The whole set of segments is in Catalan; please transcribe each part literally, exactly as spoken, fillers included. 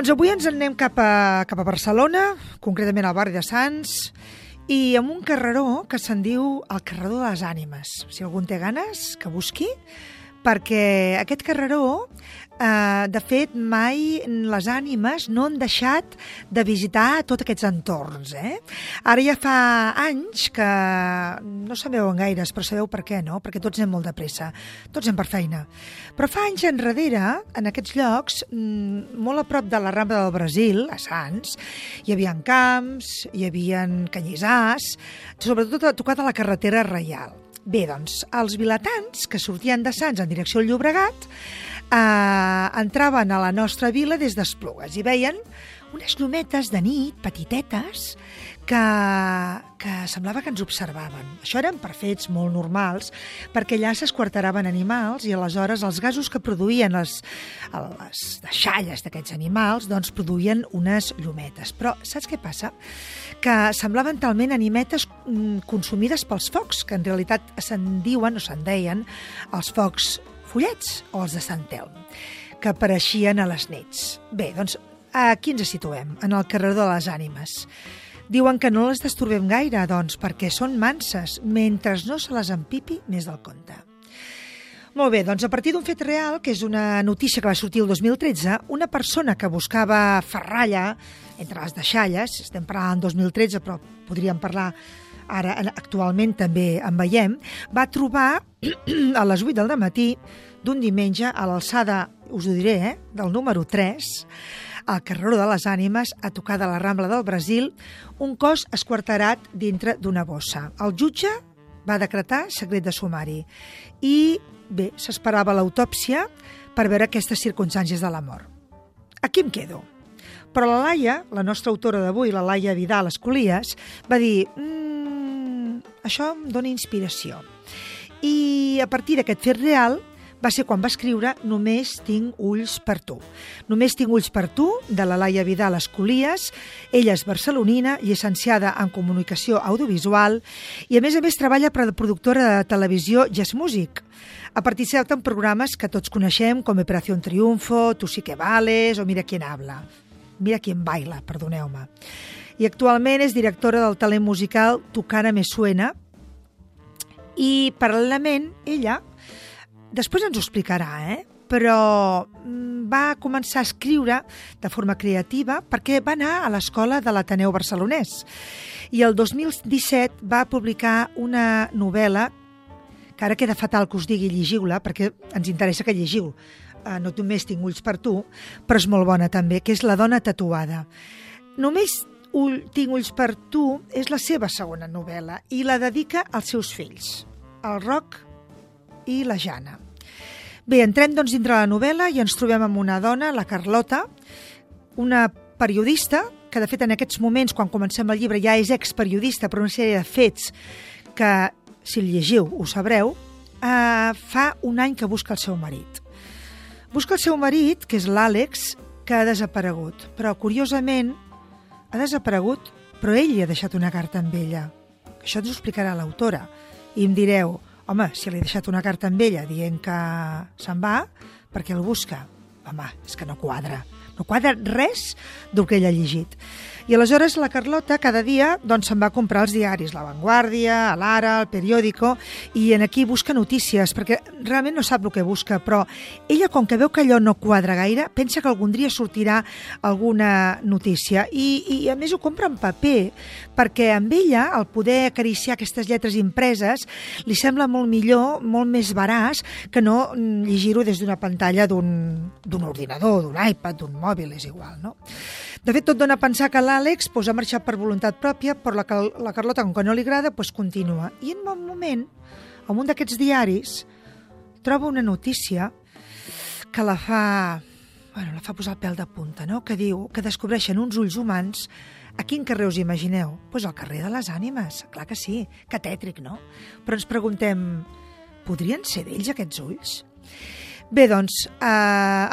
Doncs avui ens en anem cap a, cap a Barcelona, concretament al barri de Sants, i amb un carreró que se'n diu el carreró de les ànimes. Si algú en té ganes, que busqui, perquè aquest carreró, eh, de fet, mai les ànimes no han deixat de visitar tots aquests entorns. Eh? Ara ja fa anys que no sabeu gaires, però sabeu per què, no? Perquè tots anem molt de pressa, tots anem per feina. Però fa anys enrere, en aquests llocs, molt a prop de la Rambla del Brasil, a Sants, hi havia camps, hi havia canyissars, sobretot tocat a la carretera reial. Bé, doncs, els vilatans que sortien de Sants en direcció al Llobregat eh, entraven a la nostra vila des d'Esplugues i veien unes llumetes de nit, petitetes, que, que semblava que ens observaven. Això eren per fets molt normals, perquè allà s'esquarteraven animals i aleshores els gasos que produïen les, les deixalles d'aquests animals doncs produïen unes llumetes. Però saps què passa? Que semblaven talment animetes consumides pels focs, que en realitat se'n diuen o se'n deien els focs follets o els de Sant Telm, que apareixien a les nits. Bé, doncs aquí ens situem, en el carreró de les ànimes. Diuen que no les disturbem gaire, doncs, perquè són manses, mentre no se les empipi més del compte. Molt bé, doncs a partir d'un fet real, que és una notícia que va sortir el dos mil tretze, una persona que buscava ferralla entre les deixalles, estem parlant del dos mil tretze, però podríem parlar ara, actualment també en veiem, va trobar a les vuit del matí d'un diumenge a l'alçada, us ho diré, eh, del número tres, al carreró de les ànimes, a tocar de la Rambla del Brasil, un cos esquarterat dintre d'una bossa. El jutge va decretar secret de sumari i, bé, s'esperava l'autòpsia per veure aquestes circumstàncies de la mort. Aquí em quedo. Però la Laia, la nostra autora d'avui, la Laia Vidal Escolies, va dir mmm, això em dona inspiració. I a partir d'aquest fet real va ser quan va escriure Només tinc ulls per tu. Només tinc ulls per tu, de la Laia Vidal Escolies. Ella és barcelonina, llicenciada en comunicació audiovisual i, a més a més, treballa per la productora de televisió Jazz Music. Ha participat en programes que tots coneixem, com Operació Triunfo, Tu sí que vales o Mira quién habla. Mira quién baila, perdoneu-me. I actualment és directora del talent musical Tu cara me suena i, paral·lelament, ella després ens ho explicarà, eh? Però va començar a escriure de forma creativa perquè va anar a l'escola de l'Ateneu Barcelonès. I el dos mil disset va publicar una novel·la, que ara queda fatal que us digui llegiu-la, perquè ens interessa que llegiu. Uh, no només tinc ulls per tu, però és molt bona també, que és La dona tatuada. Només ull, tinc ulls per tu és la seva segona novel·la i la dedica als seus fills, el Roc i la Jana. Bé, entrem doncs dintre la novel·la i ens trobem amb una dona, la Carlota, una periodista, que de fet en aquests moments, quan comencem el llibre, ja és experiodista per una sèrie de fets que, si el llegiu, ho sabreu, eh, fa un any que busca el seu marit. Busca el seu marit, que és l'Àlex, que ha desaparegut. Però, curiosament, ha desaparegut, però ell li ha deixat una carta amb ella. Això ens ho explicarà l'autora. I em direu, home, si li ha deixat una carta amb ella dient que se'n va, perquè el busca? Home, és que no quadra. No quadra res del que ella ha llegit. I aleshores la Carlota cada dia doncs, se'n va a comprar els diaris, La Vanguardia, l'Ara, el Periódico, i en aquí busca notícies, perquè realment no sap el que busca, però ella, com que veu que allò no quadra gaire, pensa que algun dia sortirà alguna notícia. I, i a més ho compra en paper, perquè amb ella, el poder acariciar aquestes lletres impreses, li sembla molt millor, molt més veraç, que no llegir-ho des d'una pantalla d'un, d'un ordinador, d'un iPad, d'un mòbil, és igual, no? De fet, tot dona a pensar que l'Àlex pues, ha marxat per voluntat pròpia, però la, la Carlota, com que no li agrada, pues, continua. I en un moment, en un d'aquests diaris, troba una notícia que la fa, bueno, la fa posar el pèl de punta, no? Que diu que descobreixen uns ulls humans. A quin carrer us imagineu? Pues al carrer de les ànimes, clar que sí, que tètric, no? Però ens preguntem, podrien ser d'ells aquests ulls? Bé, doncs, eh,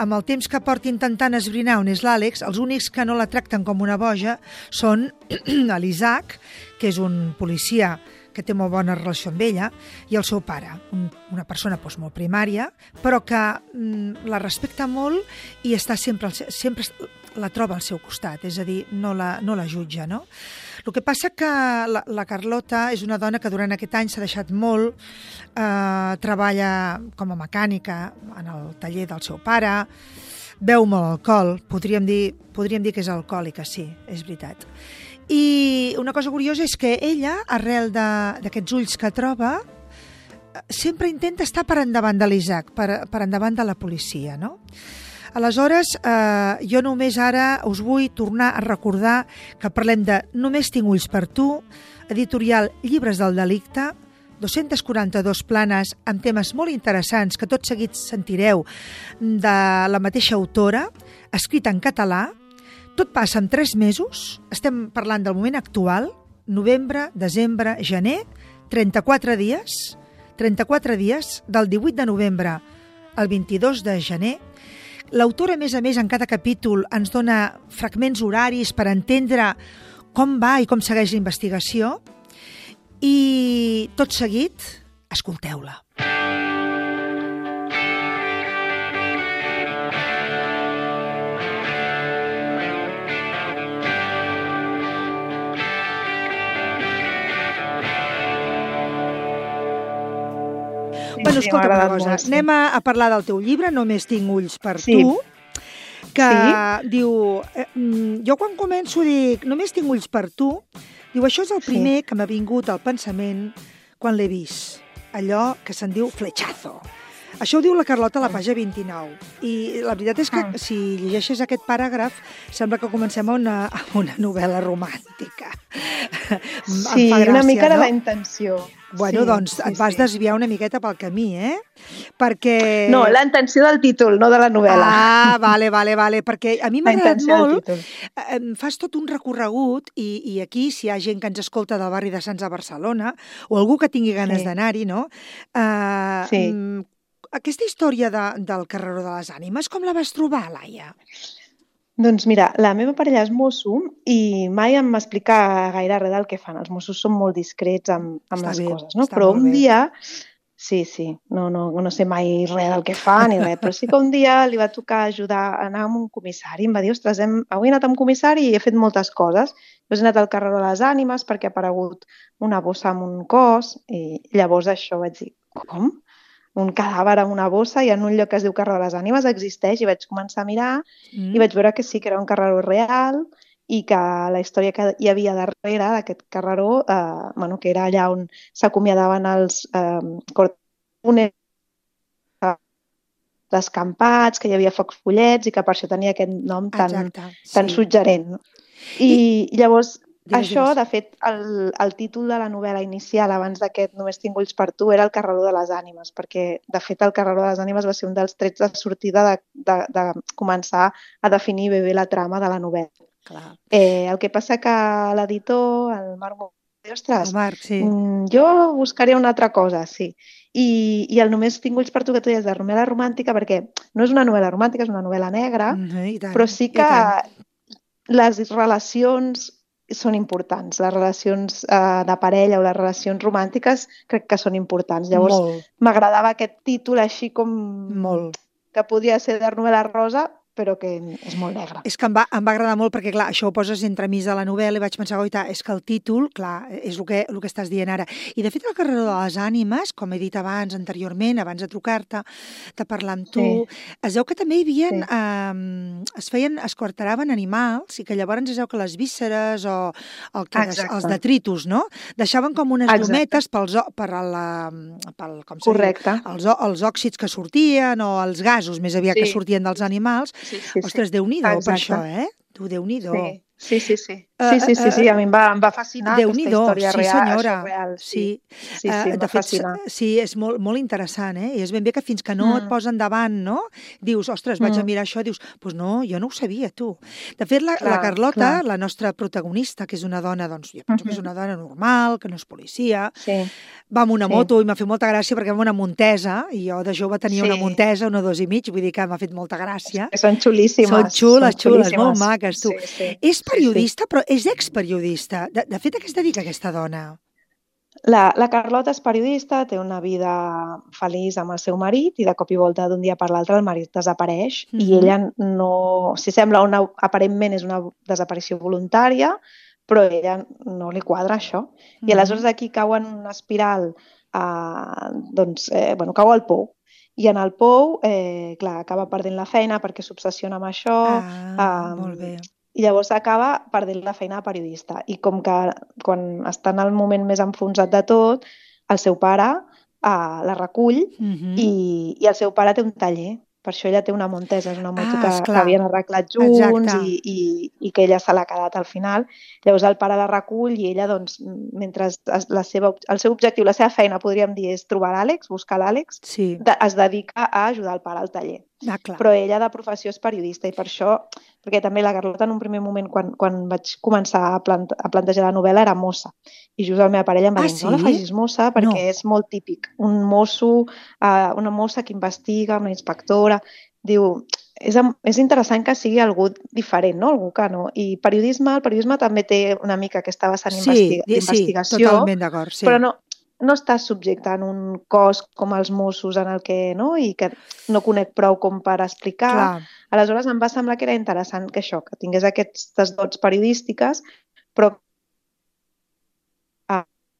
amb el temps que porti intentant esbrinar on és l'Àlex, els únics que no la tracten com una boja són l'Isaac, que és un policia que té molt bona relació amb ella, i el seu pare, un, una persona doncs, molt primària, però que mm, la respecta molt i està sempre, sempre la troba al seu costat, és a dir, no la, no la jutja, no? El que passa que la, la Carlota és una dona que durant aquest any s'ha deixat molt, eh, treballa com a mecànica en el taller del seu pare, beu molt alcohol, podríem dir, podríem dir que és alcohòlica, sí, és veritat. I una cosa curiosa és que ella, arrel d'aquests ulls que troba, sempre intenta estar per endavant de l'Isaac, per, per endavant de la policia, no? Aleshores, eh, jo només ara us vull tornar a recordar que parlem de Només tinc ulls per tu, editorial Llibres del delicte, dos-centes quaranta-dues planes amb temes molt interessants que tot seguit sentireu de la mateixa autora, escrita en català. Tot passa en tres mesos, estem parlant del moment actual, novembre, desembre, gener, trenta-quatre dies, trenta-quatre dies, del divuit de novembre al vint-i-dos de gener. L'autora, a més a més, en cada capítol ens dona fragments horaris per entendre com va i com segueix la investigació. I tot seguit, escolteu-la. Bueno, escolta una cosa, molt, sí. Anem a, a parlar del teu llibre, Només tinc ulls per sí. tu, que sí. diu, eh, jo quan començo dic, només tinc ulls per tu, diu, això és el primer sí. que m'ha vingut al pensament quan l'he vist, allò que se'n diu fletxazo. Això ho diu la Carlota a la pàgina vint-i-nou. I la veritat és que, si llegeixes aquest paràgraf, sembla que comencem a una, a una novel·la romàntica. Sí, gràcia, una mica no? De la intenció. Bueno, sí, doncs sí, et vas sí. desviar una miqueta pel camí, eh? Perquè... No, la intenció del títol, no de la novel·la. Ah, vale, vale, vale, perquè a mi m'ha agradat molt. Em fas tot un recorregut i, i aquí, si hi ha gent que ens escolta del barri de Sants a Barcelona o algú que tingui ganes sí. d'anar-hi, no? Uh, sí. Aquesta història de, del Carreró de les Ànimes, com la vas trobar, Laia? Doncs mira, la meva parella és mosso i mai em va explicar gaire res del que fan. Els mossos són molt discrets amb, amb les bé, coses, no? Però un bé. dia... Sí, sí, no, no, no sé mai res del que fa ni res, però sí que un dia li va tocar ajudar a anar amb un comissari. Em va dir, ostres, hem, avui he anat amb un comissari i he fet moltes coses. Llavors he anat al Carreró de les Ànimes perquè ha aparegut una bossa amb un cos i llavors això vaig dir, com? Un cadàver amb una bossa i en un lloc que es diu Carreró de les Ànimes existeix i vaig començar a mirar mm. i vaig veure que sí, que era un carreró real i que la història que hi havia darrere d'aquest carreró, eh, bueno, que era allà on s'acomiadaven els eh, cortejones descampats, que hi havia focs follets i que per això tenia aquest nom tan, Exacte, sí. tan suggerent. I, I llavors... Digues, Això, digues. de fet, el, el títol de la novel·la inicial, abans d'aquest Només tinc ulls per tu, era el Carreró de les Ànimes, perquè, de fet, el Carreró de les Ànimes va ser un dels trets de sortida de, de, de començar a definir bé bé la trama de la novel·la. Clar. Eh, el que passa que l'editor, el Marc, ostres, el Marc, sí. jo buscaria una altra cosa, sí. I, i el Només tinc ulls per tu, que tu deies de novel·la romàntica, perquè no és una novel·la romàntica, és una novel·la negra, mm-hmm, tant, però sí que les relacions són importants. Les relacions eh, de parella o les relacions romàntiques crec que són importants. Llavors m'agradava aquest títol així com Molt. que podia ser de novel·la rosa, però que és molt negre. És que em va, em va agradar molt perquè, clar, això ho poses entremig de la novel·la i vaig pensar, oita, és que el títol, clar, és el que, el que estàs dient ara. I, de fet, el Carreró de les Ànimes, com he dit abans, anteriorment, abans de trucar-te, de parlar amb tu, sí. es veu que també hi havia... Sí. Eh, es feien, es quarteraven animals i que llavors es veu que les vísceres o el que, els detritus, no? Deixaven com unes Exacte. llumetes pels, per la, pel, com Correcte. Dir, els, els òxids que sortien o els gasos, més aviat, sí. que sortien dels animals. Sí, sí, sí. Ostres, Déu-n'hi-do per això, eh? Tu, Déu-n'hi-do. Sí. Sí, sí, sí. Sí, sí, sí, sí. A mi em va, em va fascinar aquesta història sí, real. Senyora. Real. Sí, sí, sí, em va fascinar. Sí, és molt, molt interessant, eh? I és ben bé que fins que no mm. et posen davant, no? Dius, ostres, vaig mm. a mirar això, dius, doncs pues no, jo no ho sabia, tu. De fet, la, clar, la Carlota, clar. la nostra protagonista, que és una dona, doncs, jo penso mm-hmm. que és una dona normal, que no és policia, sí. va amb una sí. moto i m'ha fet molta gràcia perquè va amb una Montesa, i jo de jove tenia sí. una Montesa, una dos i mig, vull dir que m'ha fet molta gràcia. Que són xulíssimes. Són xules, són xules, molt maques, tu. Sí, sí. És periodista, sí, sí. però és experiodista. De, de fet, a què es dedica aquesta dona? La, la Carlota és periodista, té una vida feliç amb el seu marit i de cop i volta d'un dia per l'altre el marit desapareix uh-huh. i ella no... Si sembla una... aparentment és una desaparició voluntària, però a ella no li quadra això. Uh-huh. I aleshores aquí cau en una espiral, eh, doncs, eh, bueno, cau al pou. I en el pou, eh, clar, acaba perdent la feina perquè s'obsessiona amb això. Ah, eh, molt bé. I llavors acaba perdent la feina de periodista. I com que quan està en el moment més enfonsat de tot, el seu pare uh, la recull uh-huh. i, i el seu pare té un taller. Per això ella té una Montesa, és una moto ah, que, que havien arreglat junts i, i, i que ella se l'ha quedat al final. Llavors el pare la recull i ella, doncs, mentre la seva, el seu objectiu, la seva feina, podríem dir, és trobar l'Àlex, buscar l'Àlex, sí. de, es dedica a ajudar el pare al taller. Ah, però ella de professió és periodista i per això, perquè també la Carlota en un primer moment quan, quan vaig començar a, plant, a plantejar la novel·la era mossa i just la meva parella em va ah, dir sí? no la facis mossa perquè no. és molt típic un mosso, uh, una mossa que investiga, una inspectora, diu és, és interessant que sigui algú diferent, no? Algú que no, i periodisme, el periodisme també té una mica aquesta vessant sí, investiga, sí, d'investigació, totalment d'acord, sí. però no no estàs subjecte en un cos com els Mossos en el que, no? I que no conec prou com per explicar. Clar. Aleshores em va semblar que era interessant que això, que tingués aquestes dots periodístiques, però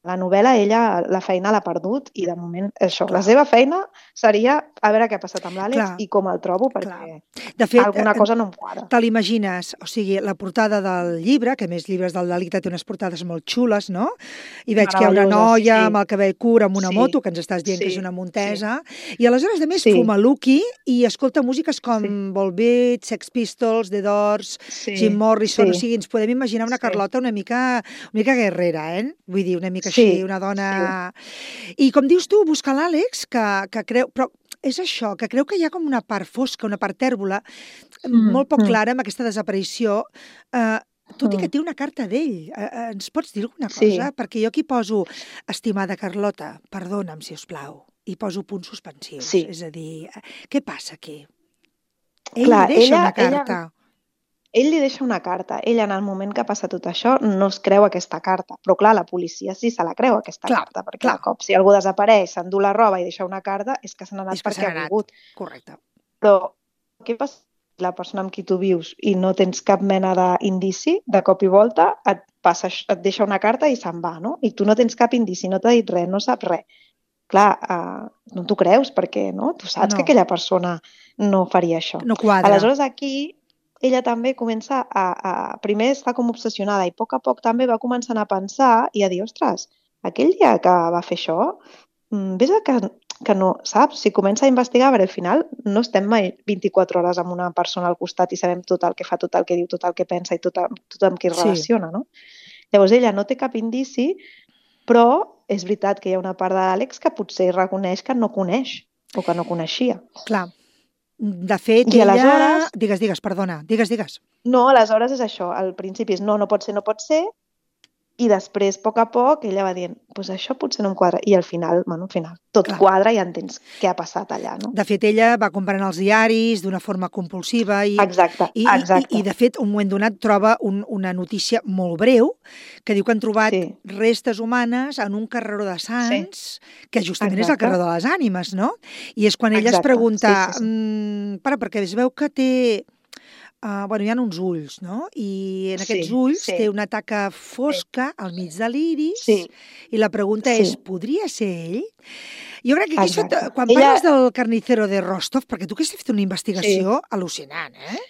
la novel·la, ella, la feina l'ha perdut i de moment això, clar. La seva feina seria a veure què ha passat amb l'Àlex i com el trobo perquè de fet, alguna cosa no em quadra. Te l'imagines, o sigui, la portada del llibre, que a més llibres del delicte té unes portades molt xules, no? I veig que hi ha una noia sí. amb el cabell curt amb una sí. moto, que ens estàs dient sí. que és una Montesa, sí. i aleshores, a més, sí. fuma luqui i escolta músiques com sí. Volbeat, Sex Pistols, The Doors, sí. Jim Morrison, sí. o sigui, ens podem imaginar una Carlota una mica, una mica guerrera, eh? Vull dir, una mica sí. així, una dona... Sí. I com dius tu, busca l'Àlex, que, que creu... Però és això, que creu que hi ha com una part fosca, una part tèrbola, mm, molt poc clara amb aquesta desaparició, eh, tot i que té una carta d'ell. Eh, ens pots dir alguna cosa? Sí. Perquè jo aquí poso, estimada Carlota, perdona'm, si us plau, i poso punts suspensius. Sí. És a dir, què passa aquí? Ell Clar, deixa ella, una carta. Ella... Ell li deixa una carta. Ella, en el moment que passa tot això, no es creu aquesta carta. Però, clar, la policia sí se la creu, aquesta clar, carta, perquè clar. Cop, si algú desapareix, s'endú la roba i deixa una carta, és que se n'ha anat perquè ha volgut. Correcte. Però què passa si la persona amb qui tu vius i no tens cap mena d'indici, de cop i volta et, passa, et deixa una carta i se'n va, no? I tu no tens cap indici, no t'ha dit res, no saps res. Clar, uh, no t'ho creus perquè no? Tu saps no. que aquella persona no faria això. No quadra. Aleshores, aquí... ella també comença a, a... Primer està com obsessionada i a poc a poc també va començant a pensar i a dir, ostres, aquell dia que va fer això, ves que, que no, saps? Si comença a investigar, però al final no estem mai vint-i-quatre hores amb una persona al costat i sabem tot el que fa, tot el que diu, tot el que pensa i tot, tot amb qui es relaciona, sí. no? Llavors ella no té cap indici, però és veritat que hi ha una part de l'Àlex que potser reconeix que no coneix o que no coneixia. Clar. De fet, I ella... aleshores... Digues, digues, perdona. Digues, digues. No, aleshores és això. Al principi és no, no pot ser, no pot ser. I després, a poc a poc, ella va dient, pues això potser no em quadra. I al final, bueno, al final, tot Clar. Quadra i ja entens què ha passat allà, no? De fet, ella va comprant els diaris d'una forma compulsiva i, exacte, i, exacte. i, i de fet, un moment donat troba un, una notícia molt breu que diu que han trobat sí. restes humanes en un carreró de Sants, sí. que justament exacte. És el carreró de les ànimes, no? I és quan ella exacte. Es pregunta, sí, sí, sí. Mm, para, perquè es veu que té... Uh, bueno, hi ha uns ulls, no? I en aquests sí, ulls sí. té una taca fosca sí. al mig de l'iris sí. i la pregunta sí. és, podria ser ell? Jo crec que aquí, sota, quan Ella... parles del carnicero de Rostov, perquè tu que has fet una investigació sí. al·lucinant, eh?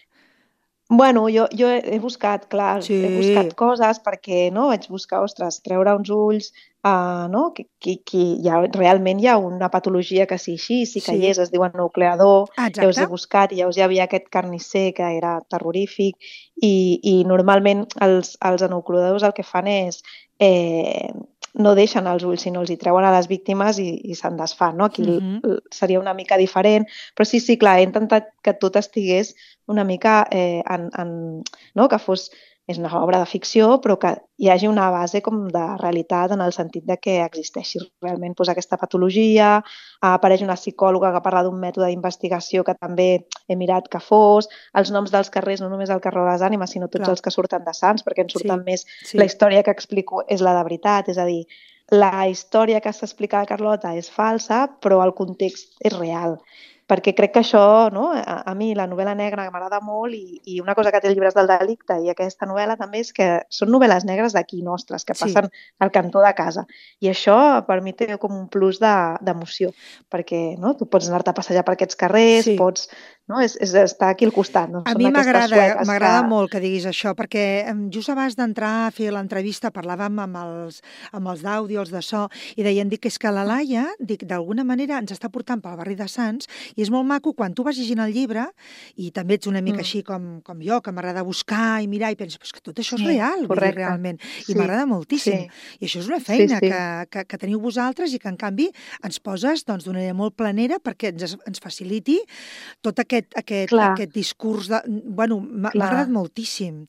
Bueno, jo, jo he buscat, clar, sí. he buscat coses perquè no vaig buscar, ostres, treure uns ulls, uh, no? que, que, que hi ha, realment hi ha una patologia que sí així, sí que sí. hi és, es diuen nucleador, exacte. Llavors he buscat i llavors hi havia aquest carnisser que era terrorífic i, i normalment els, els enucleadors el que fan és... Eh, no deixen els ulls, sinó els hi treuen a les víctimes i, i se'n desfan, no? Aquí uh-huh. seria una mica diferent, però sí, sí, clar, he intentat que tot estigués una mica eh, en, en, no? que fos, és una obra de ficció, però que hi hagi una base com de realitat en el sentit de que existeixi realment doncs, aquesta patologia, apareix una psicòloga que parla d'un mètode d'investigació que també he mirat que fos, els noms dels carrers, no només el carrer de les ànimes, sinó tots clar. Els que surten de Sants, perquè en surten sí, més, sí. La història que explico és la de veritat, és a dir, la història que s'explica a Carlota és falsa, però el context és real. Perquè crec que això, no? a, a mi la novel·la negra m'agrada molt i, i una cosa que té el Llibres del delicte i aquesta novel·la també és que són novel·les negres d'aquí nostres, que passen sí. al cantó de casa. I això per mi té com un plus d'emoció, de, perquè no? tu pots anar-te a passejar per aquests carrers, sí. pots... No? És, és estar aquí al costat. No? A mi m'agrada m'agrada que... molt que diguis això, perquè just abans d'entrar a fer l'entrevista parlàvem amb els, amb els d'àudio, els de so, i deien dic, que és que la Laia, dic, d'alguna manera ens està portant pel barri de Sants, i és molt maco quan tu vas llegint el llibre, i també ets una mica mm. així com, com jo, que m'agrada buscar i mirar, i penso, però és que tot això és sí, real, dir, realment, i sí. m'agrada moltíssim. Sí. I això és una feina sí, sí. Que, que, que teniu vosaltres i que, en canvi, ens poses doncs, d'una manera molt planera perquè ens, ens faciliti tot aquest Aquest, aquest discurs de... Bueno, m'ha agradat moltíssim.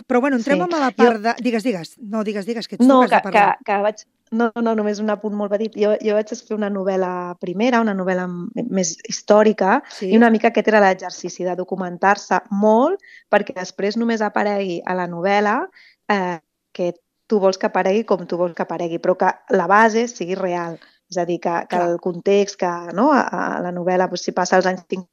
Però, bueno, entrem sí. a la part jo... de... Digues, digues. No, digues, digues, que ets no, tu que has de parlar. Que, que vaig... No, no, només un apunt molt petit. Jo, jo vaig escriure una novel·la primera, una novel·la més històrica, sí. i una mica aquest era l'exercici de documentar-se molt perquè després només aparegui a la novel·la eh, que tu vols que aparegui com tu vols que aparegui, però que la base sigui real. És a dir, que, que el context, que no, a, a la novel·la, doncs, si passa als anys cinquanta,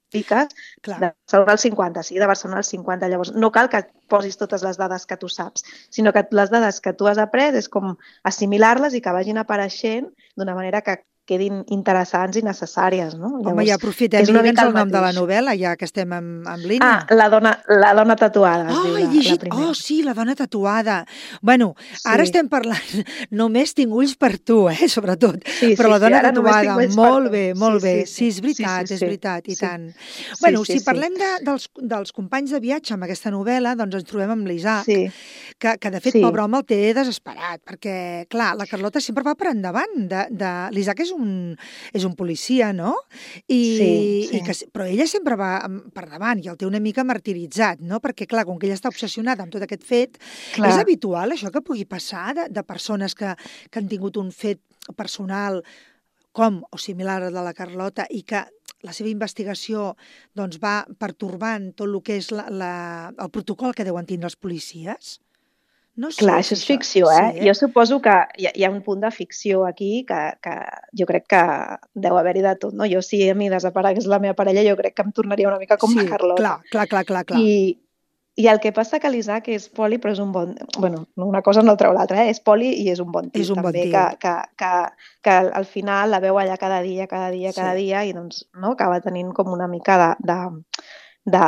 piques, Clar. de Barcelona al cinquanta, sí, de Barcelona al cinquanta. Llavors, no cal que posis totes les dades que tu saps, sinó que les dades que tu has après és com assimilar-les i que vagin apareixent d'una manera que quedin interessants i necessàries, no? Llavors, home, ja aprofitem, digue'ns el nom de la novel·la, ja que estem en, en línia. Ah, la dona, la dona tatuada. Oh, he llegit, oh, sí, la dona tatuada. Bueno, sí. ara estem parlant, només tinc ulls per tu, eh, sobretot, sí, però sí, la dona sí, tatuada, molt bé, molt sí, bé, sí, sí, sí, és veritat, sí, sí, és veritat, sí, i tant. Sí, bueno, sí, si sí, parlem de, dels, dels companys de viatge amb aquesta novel·la, doncs ens trobem amb l'Isaac, sí. que, que de fet, sí. pobre home, el té desesperat, perquè, clar, la Carlota sempre va per endavant, de, de... l'Isaac és un Un, és un policia, no? I, sí, sí. I que, però ella sempre va per davant i el té una mica martiritzat, no? Perquè, clar, com que ella està obsessionada amb tot aquest fet, clar. És habitual això que pugui passar de, de persones que, que han tingut un fet personal com o similar al de la Carlota i que la seva investigació doncs, va pertorbant tot el que és la, la, el protocol que deuen tindre els policies? No sé, Clar, això és ficció, eh? Sí, eh? Jo suposo que hi ha, hi ha un punt de ficció aquí que, que jo crec que deu haver-hi de tot, no? Jo, si a mi desaparegués la meva parella, jo crec que em tornaria una mica com sí, la Carlota. Clar, clar, clar, clar, clar. I, I el que passa que l'Isaac és poli, però és un bon... Bueno, una cosa no treu l'altra, eh? És poli i és un bon tio, és un també, bon tio. Que, que, que, que al final la veu allà cada dia, cada dia, cada sí. dia, i doncs no, acaba tenint com una mica de... de de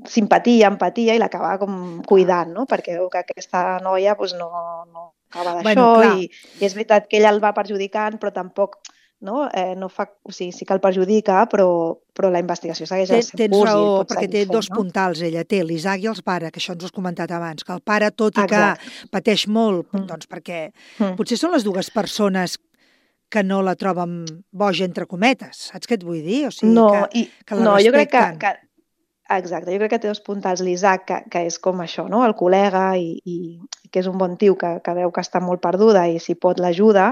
simpatia, empatia, i l'acaba com cuidant, no? Perquè veu que aquesta noia doncs, no, no acaba d'això, bueno, i, i és veritat que ella el va perjudicant, però tampoc no, eh, no fa... O sigui, sí que el perjudica, però, però la investigació segueix el seu Tens curs. raó, perquè té fent, dos no? puntals, ella té l'Isaac i els pares, que això ens ho has comentat abans, que el pare, tot i Exacte. que pateix molt, mm. doncs perquè mm. potser són les dues persones que no la troben boja, entre cometes, saps què et vull dir? O sigui, no, que, i, que la no, respecten. Jo crec que, que Exacte, jo crec que té dos puntals l'Isaac, que, que és com això, no? El col·lega i, i que és un bon tio que, que veu que està molt perduda i si pot l'ajuda.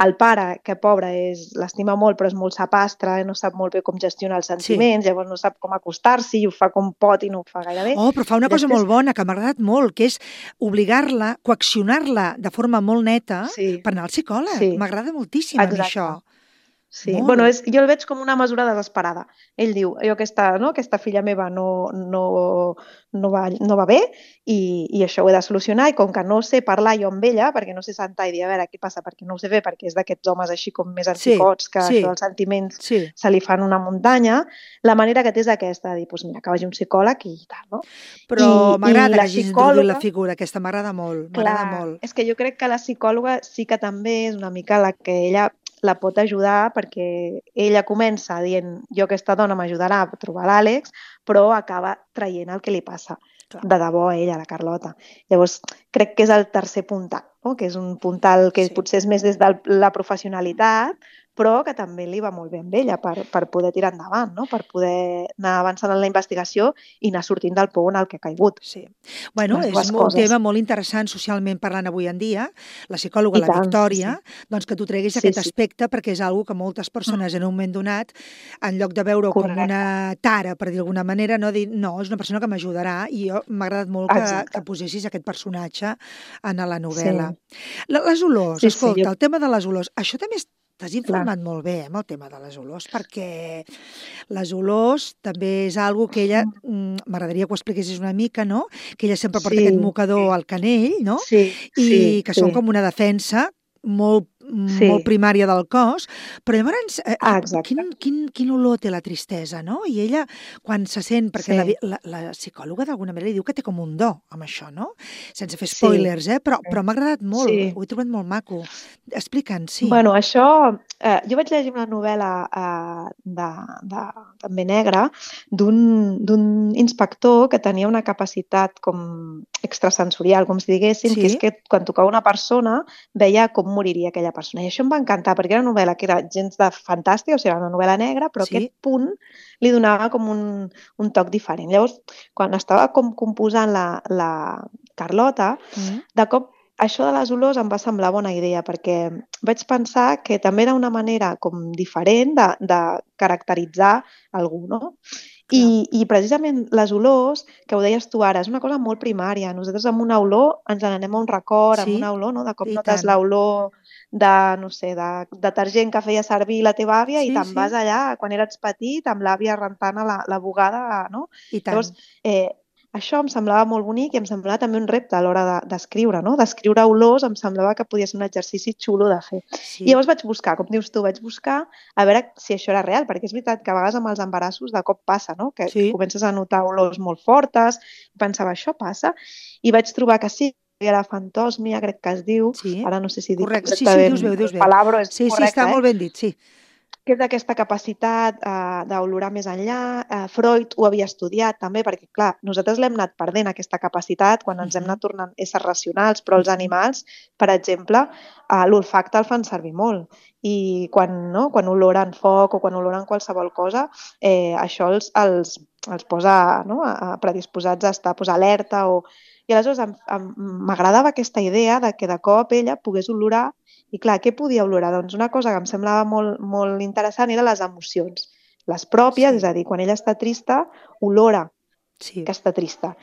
El pare, que pobre, és l'estima molt però és molt sapastre, no sap molt bé com gestionar els sentiments, sí. llavors no sap com acostar-s'hi i ho fa com pot i no ho fa gaire bé. Oh, però fa una cosa Després... molt bona, que m'ha agradat molt, que és obligar-la, coaccionar-la de forma molt neta sí. per anar al psicòleg. Sí. M'agrada moltíssim Exacte. a mi això. Sí, Molt. bueno, és, jo el veig com una mesura desesperada. Ell diu, jo aquesta, no, aquesta filla meva no, no, no, va, no va bé i, i això ho he de solucionar, i com que no sé parlar jo amb ella, perquè no sé sentar i dir, a veure, què passa, perquè no ho sé fer, perquè és d'aquests homes així com més anticots, sí, que sí, això dels sentiments sí. se li fan una muntanya, la manera que té és aquesta, de dir, doncs mira, que vagi un psicòleg i tal, no? Però m'agrada que hagis introduït la figura, aquesta m'agrada molt, m'agrada molt. És que jo crec que la psicòloga sí que també és una mica la que ella la pot ajudar, perquè ella comença dient jo aquesta dona m'ajudarà a trobar l'Àlex, però acaba traient el que li passa Clar. de debò a ella, a la Carlota. Llavors, crec que és el tercer puntal, no? Que és un puntal que sí. potser és més des de la professionalitat, però que també li va molt bé amb ella per, per poder tirar endavant, no? Per poder anar avançant en la investigació i anar sortint del pou en el que ha caigut. Sí. Bueno, Les és dues un coses. tema molt interessant socialment parlant avui en dia, la psicòloga, I la tant, Victòria, sí, sí. doncs que tu treguis Sí, aquest sí. aspecte perquè és algo que moltes persones en un moment donat, en lloc de veure-ho com Correcte. una tara, per dir d'alguna manera, no, dir, no, és una persona que m'ajudarà, i jo m'ha agradat molt que, Exacte. que posessis aquest personatge en la novel·la. Sí. La- Les olors, Sí, sí, escolta, jo- el tema de les olors, això també és t'has informat Clar. molt bé, eh, amb el tema de les olors, perquè les olors també és algo que ella, mm, m'agradaria que ho expliquessis una mica, no? Que ella sempre porta Sí, aquest mocador al canell, no? sí, I sí, que sí. són com una defensa molt, Sí. molt primària del cos, però llavors, eh, Ah, eh, exacte. quin, quin, quin olor té la tristesa, no? I ella, quan se sent, perquè Sí. la, vi- la, la psicòloga d'alguna manera li diu que té com un do amb això, no? Sense fer Sí. spoilers, eh? Però, Sí. però m'ha agradat molt, Sí. ho he trobat molt maco. Explica'ns, sí. Bueno, això... Eh, jo vaig llegir una novel·la eh, de, de, també negra d'un d'un inspector que tenia una capacitat com extrasensorial, com si diguéssim, Sí. que és que quan tocava una persona veia com moriria aquella persona. I això em va encantar, perquè era una novel·la que era gens de fantàstica, o sigui, era una novel·la negra, però Sí. aquest punt li donava com un, un toc diferent. Llavors, quan estava com composant la, la Carlota, Mm. de cop això de les olors em va semblar bona idea, perquè vaig pensar que també era una manera com diferent de, de caracteritzar algú, no? I, I precisament les olors, que ho deies tu ara, és una cosa molt primària. Nosaltres amb una olor ens n'anem a un record, Sí, amb una olor, no? De cop i notes tant. l'olor de, no sé, de detergent que feia servir la teva àvia Sí, i te'n sí. vas allà, quan eres petit, amb l'àvia rentant a la, la bugada, no? I tant. Llavors, eh, això em semblava molt bonic i em semblava també un repte a l'hora de- d'escriure, no? D'escriure olors em semblava que podia ser un exercici xulo de fer. Sí. I llavors vaig buscar, com dius tu, vaig buscar a veure si això era real, perquè és veritat que a vegades amb els embarassos de cop passa, no? Que, Sí. que comences a notar olors molt fortes, i pensava, això passa, i vaig trobar que sí, que era fantòsmia, crec que es diu, Sí. ara no sé si dic Correcte. Sí, sí, ho exactament dius bé, ho dius el bé. palabra, és Sí, sí, correcte, està eh? molt ben dit, sí. Que és d'aquesta capacitat eh, d'olorar més enllà. Eh, Freud ho havia estudiat també, perquè, clar, nosaltres l'hem anat perdent, aquesta capacitat, quan ens hem Mhm. anat tornant éssers racionals, però els Mhm. animals, per exemple, eh, l'olfacte el fan servir molt. I quan, no, quan oloren foc o quan oloren qualsevol cosa, eh, això els, els, els posa, no, a, a predisposats a estar pues, alerta. O... I aleshores em- em- m'agradava aquesta idea de que de cop ella pogués olorar. I clar, què podia olorar? Doncs una cosa que em semblava molt, molt interessant eren les emocions. Les pròpies, Sí. és a dir, quan ella està trista, olora Sí. que està trista.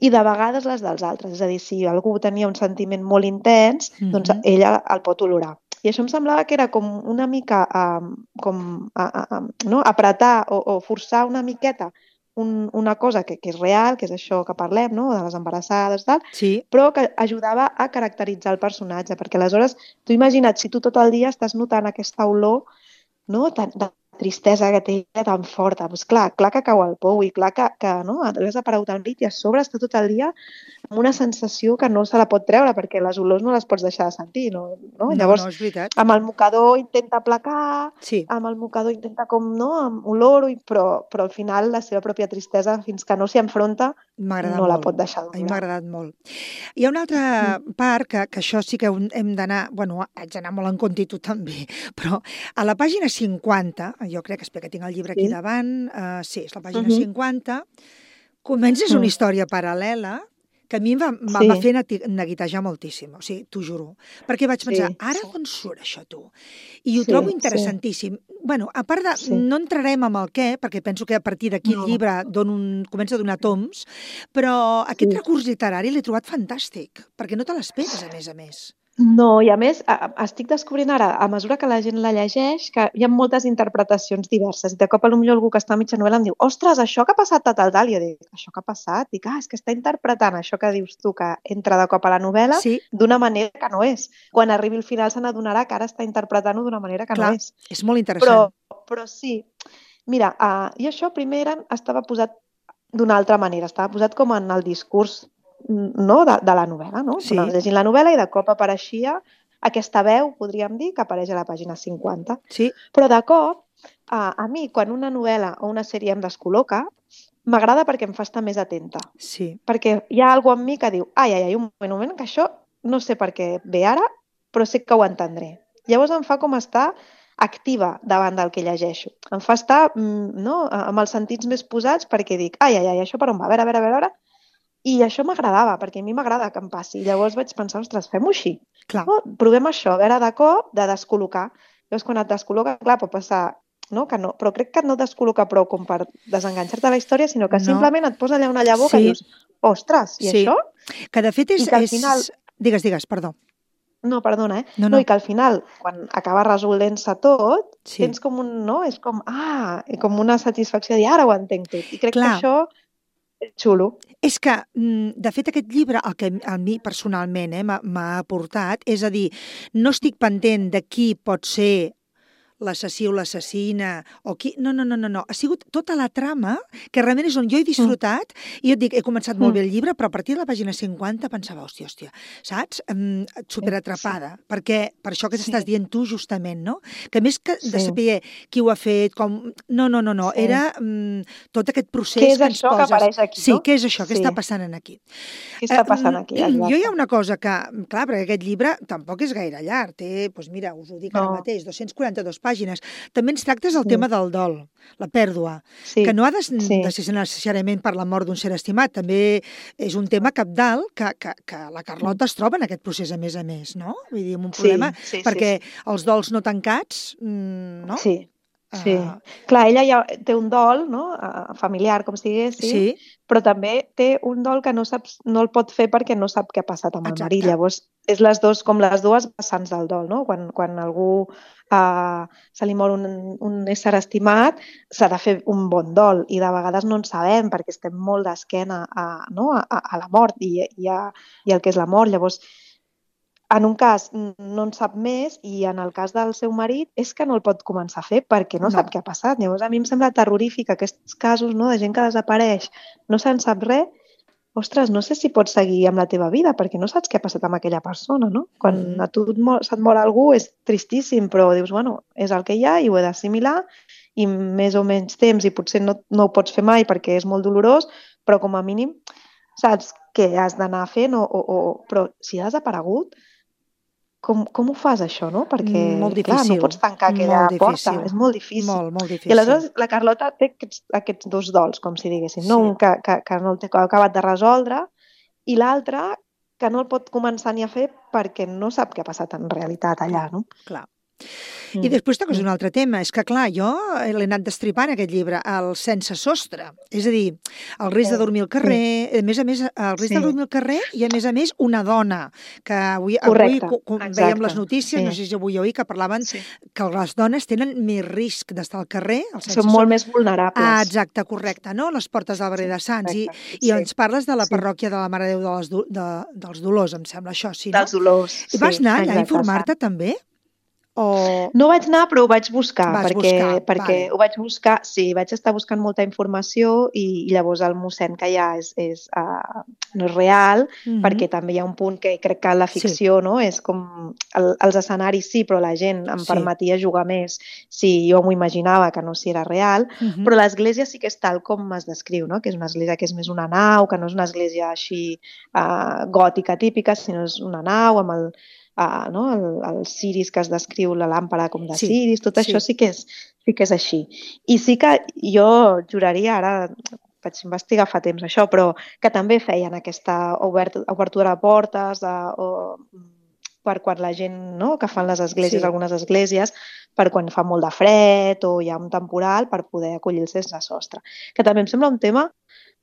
I de vegades les dels altres. És a dir, si algú tenia un sentiment molt intens, doncs Mhm. ella el pot olorar. I això em semblava que era com una mica um, com, a, a, a, no? apretar o, o forçar una miqueta un, una cosa que, que és real, que és això que parlem, no? De les embarassades, tal, Sí. però que ajudava a caracteritzar el personatge, perquè aleshores, tu imagina't, si tu tot el dia estàs notant aquesta olor, no? Tan, de tristesa que té ella tan forta, doncs clar, clar que cau al pou i clar que, que no? Has aparegut al llit i a sobre està tot el dia amb una sensació que no se la pot treure perquè les olors no les pots deixar de sentir, no? no? No, Llavors, no, és veritat. amb el mocador intenta aplacar, Sí. amb el mocador intenta com, no?, amb olor, però, però al final la seva pròpia tristesa, fins que no s'hi enfronta, M'ha agradat no la molt. pot deixar A mi m'ha d'olorar. agradat molt. Hi ha una altra part que, que això sí que hem hem d'anar, bueno, haig d'anar molt en compte i tu també, però a la pàgina cinquanta, jo crec que, espera, que tinc el llibre aquí Sí. davant, uh, sí, és la pàgina Mhm. cinquanta, comences una Mm. història paral·lela que a mi em va, em va Sí. va fer nati- neguitejar moltíssim, o sigui, t'ho juro. Perquè vaig pensar, Sí, ara sí. d'on surt això, tu? I ho Sí, trobo sí. interessantíssim. Bueno, a part de... Sí. No entrarem amb el què, perquè penso que a partir d'aquí el No. llibre dona un, comença a donar toms, però aquest Sí. recurs literari l'he trobat fantàstic, perquè no te l'esperes, a més a més. No, i a més, a, a, estic descobrint ara, a mesura que la gent la llegeix, que hi ha moltes interpretacions diverses. I de cop, potser algú que està a mitja novel·la em diu ostres, això que ha passat tal, tal, tal. I jo dic, això que ha passat? Dic, ah, és que està interpretant això que dius tu, que entra de cop a la novel·la, Sí, d'una manera que no és. Quan arribi al final se n'adonarà que ara està interpretant-ho d'una manera que clar, no és. és molt Però, interessant. però sí. Mira, uh, i això primer eren, estava posat d'una altra manera, estava posat com en el discurs, no?, de, de la novel·la, no? Sí. Anaves llegint la novel·la i de cop apareixia aquesta veu, podríem dir, que apareix a la pàgina cinquanta. Sí, Però de cop, a, a mi, quan una novel·la o una sèrie em descol·loca, m'agrada perquè em fa estar més atenta. sí, Perquè hi ha alguna en mi que diu, ai, ai, ai, un moment, un moment, que això no sé per què ve ara, però sé que ho entendré. Llavors em fa com estar activa davant del que llegeixo. Em fa estar no, amb els sentits més posats perquè dic, ai, ai, ai, això per on va? A veure, a veure, a veure... I això m'agradava, perquè a mi m'agrada que em passi. I llavors vaig pensar, ostres, fem-ho així. No? Provem això, a veure de cop, de descol·locar. Llavors, quan et descol·loca, clar, pot passar, no? Que no, però crec que no et descol·loca prou com per desenganxar-te de la història, sinó que no. Simplement et posa allà una llavor sí. Que dius, ostres, i sí. això? Que de fet és... I que al final... és... Digues, digues, perdó. No, perdona, eh? No, no. no, i que al final, quan acaba resolent-se tot, sí. Tens com un, no? És com, ah, com una satisfacció de dir, ara ho entenc tot. I crec clar. Que això és xulo. És que, de fet, aquest llibre, el que a mi personalment eh, m'ha aportat, és a dir, no estic pendent de qui pot ser l'assassí o l'assassina, o qui... No, no, no, no, no. Ha sigut tota la trama, que realment és on jo he disfrutat, mm. i jo et dic, he començat molt mm. bé el llibre, però a partir de la pàgina cinquanta pensava, hòstia, hòstia, saps? Um, superatrapada, sí. perquè per això que t'estàs sí. dient tu justament, no? Que més que sí. de saber qui ho ha fet, com... No, no, no, no. Sí. Era um, tot aquest procés que, que ens poses... que apareix aquí, sí, no? què és això? Sí. Què està passant aquí? Què està passant aquí? Uh, jo hi ha una cosa que, clar, perquè aquest llibre tampoc és gaire llarg, té, doncs mira, us ho dic no. ara mateix, dos-cents quaranta-dues pàgines. També ens tractes el sí. tema del dol, la pèrdua, sí. que no ha de, sí. de ser necessàriament per la mort d'un ser estimat, també és un tema cabdal que, que, que la Carlota es troba en aquest procés a més a més, no? Vull dir, un problema, sí, sí, perquè sí, sí. els dols no tancats, no? Sí. Sí, uh... clar, ella ja té un dol, no? Uh, familiar, com si diguéssim, sí. però també té un dol que no, saps, no el pot fer perquè no sap què ha passat amb el Exacte. Marit. Llavors, és les dos, com les dues vessants del dol, no? Quan, quan algú uh, se li mor un, un ésser estimat, s'ha de fer un bon dol, i de vegades no en sabem perquè estem molt d'esquena a, no? a, a la mort i, i, a, i el que és la mort. Llavors, en un cas no en sap més i en el cas del seu marit és que no el pot començar a fer perquè no, no. sap què ha passat. Llavors a mi em sembla terrorífic aquests casos, no, de gent que desapareix, no se'n sap res. Ostres, no sé si pots seguir amb la teva vida perquè no saps què ha passat amb aquella persona, no? Quan mm. a tu se't mor algú és tristíssim, però dius, bueno, és el que hi ha i ho he d'assimilar i més o menys temps i potser no, no ho pots fer mai perquè és molt dolorós, però com a mínim saps què has d'anar fent o, o, o... però si ha desaparegut, Com, com ho fas, això, no? Perquè, molt clar, no pots tancar aquella porta. És molt difícil. Molt, molt difícil. I aleshores la Carlota té aquests, aquests dos dols, com si diguéssim. Sí. No? Un que, que, que no el té acabat de resoldre i l'altre que no el pot començar ni a fer perquè no sap què ha passat en realitat allà, no? Clar. I després toques un altre tema, és que clar, jo l'he anat destripant aquest llibre, el sense sostre, és a dir, el risc de dormir al carrer, a més a més, el risc sí. de dormir al carrer i a més a més una dona, que avui, avui veiem les notícies, sí. no sé si avui o ahir, que parlaven sí. que les dones tenen més risc d'estar al carrer. Són molt més vulnerables. Ah, exacte, correcte, no? Les portes del barri de Sants. I, i sí. ens parles de la parròquia de la Mare de Déu de les, de, dels Dolors, em sembla això, sí, no? Dels Dolors, sí. I vas anar allà a informar-te també? O... No vaig anar, però ho vaig buscar, Vas perquè, buscar, perquè vale. ho vaig buscar, sí, vaig estar buscant molta informació i, i llavors el mossèn que hi ha és, és, uh, no és real, mm-hmm. perquè també hi ha un punt que crec que la ficció sí. no és com el, els escenaris sí, però la gent em sí. permetia jugar més si jo m'ho imaginava, que no si era real, mm-hmm. però l'església sí que és tal com es descriu, no? Que és una església que és més una nau, que no és una església així uh, gòtica típica, sinó és una nau amb el Uh, no? el, el ciris que es descriu, la làmpara com de sí, ciris, tot sí. això sí que, és, sí que és així. I sí que jo juraria, ara vaig investigar fa temps això, però que també feien aquesta obert, obertura de portes uh, o, per quan la gent, no? que fan les esglésies, sí. algunes esglésies, per quan fa molt de fred o hi ha un temporal per poder acollir el sense sostre. Que també em sembla un tema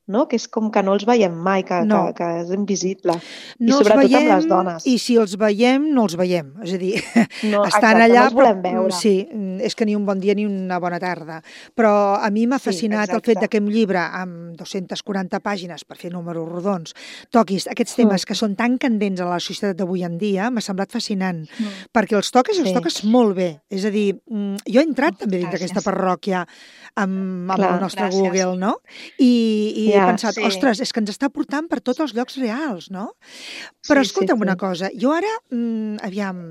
no? Que és com que no els veiem mai, que, no. que, que és invisible. I no sobretot veiem, amb les dones. I si els veiem, no els veiem. És a dir, no, estan exacte, allà... no els volem veure. Sí, és que ni un bon dia ni una bona tarda. Però a mi m'ha fascinat sí, el fet que un llibre amb dues-centes quaranta pàgines, per fer números rodons, toquis aquests temes mm. que són tan candents a la societat d'avui en dia, m'ha semblat fascinant. Mm. Perquè els toques i els sí. toques molt bé. És a dir, jo he entrat també dins d'aquesta parròquia amb, amb Clar, el nostre gràcies. Google, no? I, i ja, he pensat, sí. ostres, és que ens està portant per tots els llocs reals, no? Però sí, escolta'm sí, sí. una cosa, jo ara, mmm, aviam,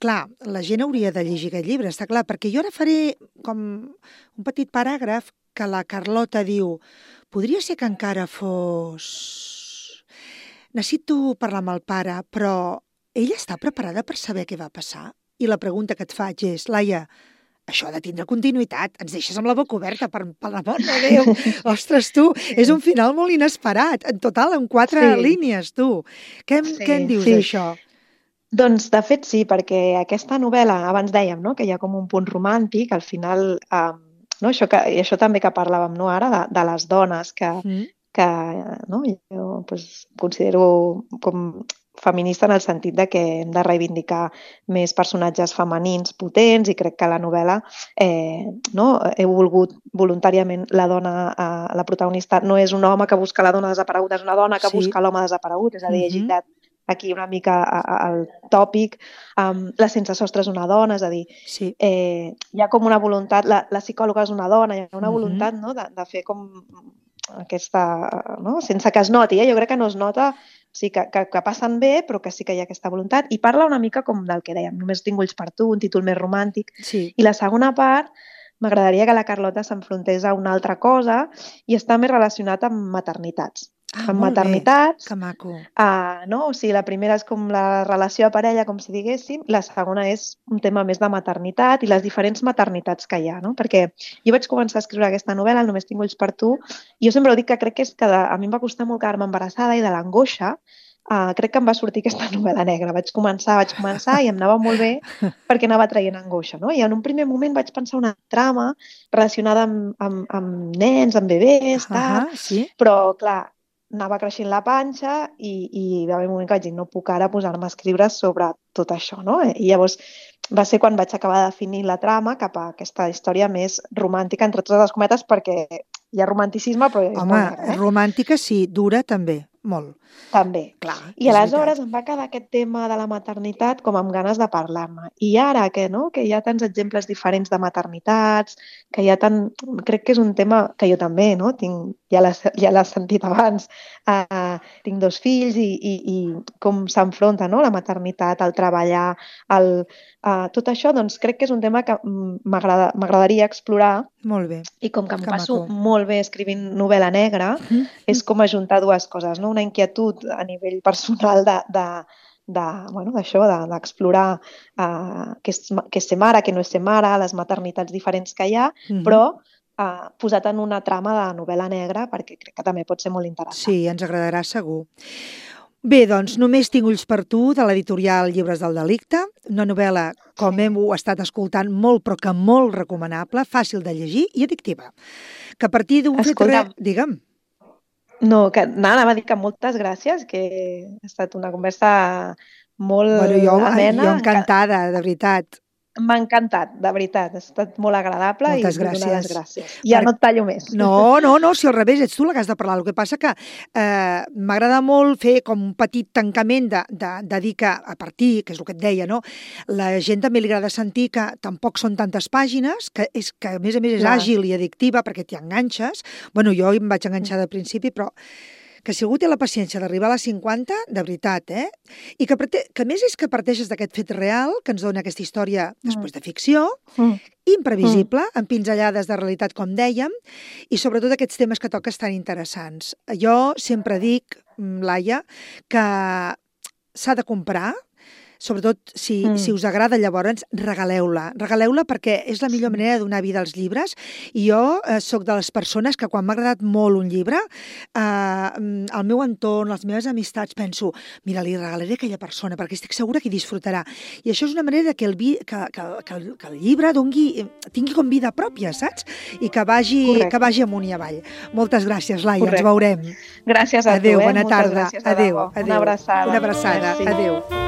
clar, la gent hauria de llegir aquest llibre, està clar, perquè jo ara faré com un petit paràgraf que la Carlota diu, podria ser que encara fos... Necessito parlar amb el pare, però ella està preparada per saber què va passar? I la pregunta que et faig és, Laia, això ha de tindre continuïtat. Ens deixes amb la boca oberta, per, per l'amor de Déu. Ostres, tu, sí. És un final molt inesperat. En total, en quatre sí. línies, tu. Què, sí, què en dius, sí. d'això? Doncs, de fet, sí, perquè aquesta novel·la, abans dèiem, no?, que hi ha com un punt romàntic, al final, eh, no? això, que, i això també que parlàvem, no?, ara, de, de les dones, que, mm. que no? jo pues, considero com feminista en el sentit de que hem de reivindicar més personatges femenins potents, i crec que la novel·la, eh, no? he volgut voluntàriament la dona, eh, la protagonista no és un home que busca la dona desapareguda, és una dona que sí. busca l'home desaparegut, és a dir, mm-hmm. he gitat aquí una mica al tòpic, um, la sense sostre és una dona, és a dir, sí. eh, hi ha com una voluntat, la, la psicòloga és una dona, hi ha una mm-hmm. voluntat, no?, de, de fer com aquesta, no?, sense que es noti, eh? Jo crec que no es nota, sí, que, que, que passen bé, però que sí que hi ha aquesta voluntat, i parla una mica com del que dèiem, només tinc ulls per tu, un títol més romàntic, sí. i la segona part m'agradaria que la Carlota s'enfrontés a una altra cosa i està més relacionat amb maternitats. Ah, amb maternitats. Bé. Que maco. Uh, no? O sigui, la primera és com la relació de parella, com si diguéssim, la segona és un tema més de maternitat i les diferents maternitats que hi ha, no? Perquè jo vaig començar a escriure aquesta novel·la, el Només tinc ulls per tu, i jo sempre ho dic que crec que és que de, a mi em va costar molt quedar-me embarassada i de l'angoixa uh, crec que em va sortir aquesta novel·la negra. Vaig començar, vaig començar i em anava molt bé perquè anava traient angoixa, no? I en un primer moment vaig pensar una trama relacionada amb, amb, amb nens, amb bebès, tal, uh-huh, sí. però clar, anava creixent la panxa i, i va haver un moment que vaig dir no puc ara posar-me a escriure sobre tot això, no? I llavors va ser quan vaig acabar de definir la trama cap a aquesta història més romàntica, entre totes les cometes, perquè hi ha romanticisme, però... Home, eh? romàntica sí, dura també, molt. També. Clar, I aleshores em va quedar aquest tema de la maternitat com amb ganes de parlar-ne. I ara que, no? que hi ha tants exemples diferents de maternitats, que hi ha tant... Crec que és un tema que jo també, no? Tinc, ja l'has ja sentit abans, uh, tinc dos fills i, i, i com s'enfronta, no? La maternitat, el treballar, el, uh, tot això, doncs crec que és un tema que m'agradaria explorar. Molt bé. I com que em que passo maco. molt bé escrivint novel·la negra, mm-hmm. és com ajuntar dues coses, no? Una inquietud a nivell personal de, de, de, bueno, d'això, d'explorar uh, què, és, què és ser mare, què no és ser mare, les maternitats diferents que hi ha, mm-hmm. però uh, posat en una trama de novel·la negra perquè crec que també pot ser molt interessant. Sí, ens agradarà segur. Bé, doncs, Només tinc ulls per tu, de l'editorial Llibres del Delicte, una novel·la, com hem estat escoltant, molt, però que molt recomanable, fàcil de llegir i addictiva. Que a partir d'un fet... Re... Digue'm. No, que anava a dir que moltes gràcies, que ha estat una conversa molt bueno, jo, amena. Jo encantada, de veritat. M'ha encantat, de veritat. Ha estat molt agradable. Moltes i gràcies. donar les gràcies. Ja per... no et tallo més. No, no, no, si al revés, ets tu la que has de parlar. El que passa que eh, m'agrada molt fer com un petit tancament de, de, de dir que a partir, que és el que et deia, no? La gent també li agrada sentir que tampoc són tantes pàgines, que, és, que a més a més és Clar. àgil i addictiva perquè t'hi enganxes. Bueno, jo em vaig enganxar de principi, però que si algú té la paciència d'arribar a les cinquanta, de veritat, eh? I que, que més és que parteixes d'aquest fet real, que ens dona aquesta història després de ficció, mm. imprevisible, mm. amb pinzellades de realitat, com dèiem, i sobretot aquests temes que toques tan interessants. Jo sempre dic, Laia, que s'ha de comprar, sobretot si, mm. si us agrada, llavors regaleu-la. Regaleu-la perquè és la millor manera de donar vida als llibres. I jo eh, soc de les persones que quan m'ha agradat molt un llibre, eh, al meu entorn, les meves amistats, penso, mira, li regalaré a aquella persona perquè estic segura que hi disfrutarà. I això és una manera que el, vi, que, que, que, el, que el llibre dongui, tingui com vida pròpia, saps? I que vagi, que vagi amunt i avall. Moltes gràcies, Laia. Correcte. Ens veurem. Gràcies a adéu, tu. Eh? Bona Moltes tarda. Gràcies, adéu, adéu. Una abraçada. Una abraçada. Merci. Adéu.